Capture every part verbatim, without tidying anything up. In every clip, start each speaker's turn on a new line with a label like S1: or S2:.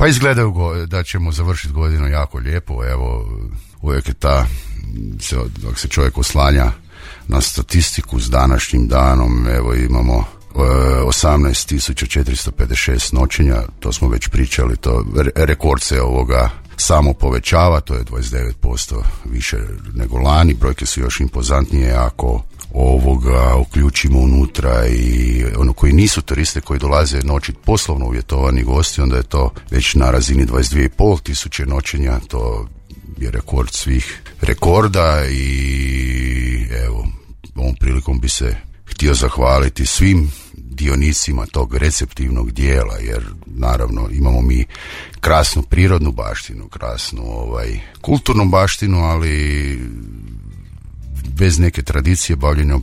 S1: Pa izgledaju go, da ćemo završiti godinu jako lijepo, evo, uvijek je ta, se, dok se čovjek oslanja na statistiku s današnjim danom, evo imamo osamnaest tisuća četiristo pedeset šest noćenja, to smo već pričali, to rekord se ovoga samo povećava, to je dvadeset devet posto više nego lani, brojke su još impozantnije ako ovoga uključimo unutra i ono koji nisu turiste, koji dolaze noćit poslovno uvjetovani gosti, onda je to već na razini dvadeset dvije i pol tisuće noćenja, to je rekord svih rekorda i evo, ovom prilikom bi se htio zahvaliti svim dionicima tog receptivnog dijela, jer naravno imamo mi krasnu prirodnu baštinu, krasnu ovaj, kulturnu baštinu, ali bez neke tradicije bavljenja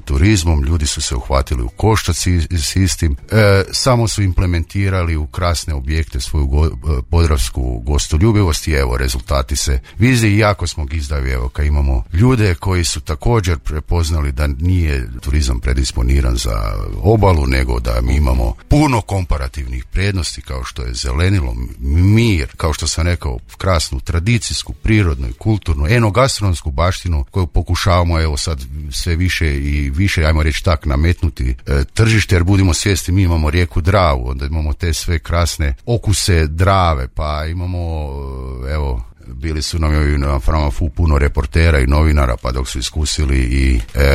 S1: turizmom, ljudi su se uhvatili u koštac s istim, e, samo su implementirali u krasne objekte svoju go, podravsku gostoljubivost i evo, rezultati se vide i jako smo gizdavi, evo, kad imamo ljude koji su također prepoznali da nije turizam predisponiran za obalu, nego da mi imamo puno komparativnih prednosti, kao što je zelenilo, mir, kao što sam rekao, krasnu tradicijsku, prirodnu i kulturnu, enogastronomsku baštinu koju pokušavamo evo sad sve više i više, ajmo reći tak, nametnuti e, tržište, jer budimo svjesni, mi imamo rijeku Dravu, onda imamo te sve krasne okuse Drave, pa imamo evo, bili su nam na Framafu puno reportera i novinara, pa dok su iskusili i e,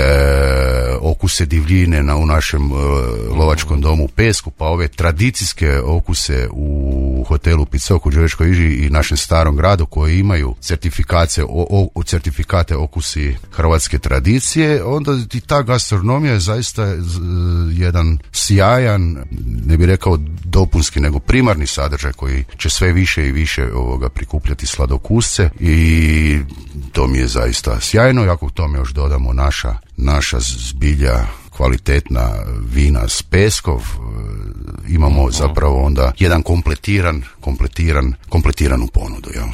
S1: okuse divljine na, u našem e, lovačkom domu u Pesku, pa ove tradicijske okuse u hotelu Picok u Đurđevačkoj Iži i našem starom gradu koji imaju certifikacije, o, o, certifikate okusi hrvatske tradicije, onda i ta gastronomija je zaista z, jedan sjajan, ne bih rekao dopunski, nego primarni sadržaj koji će sve više i više ovoga prikupljati sladokusce i to mi je zaista sjajno. I ako tome još dodamo naša, naša zbilja kvalitetna vina s Peskov, imamo zapravo onda jedan kompletiran, kompletiran, kompletiranu ponudu, jel?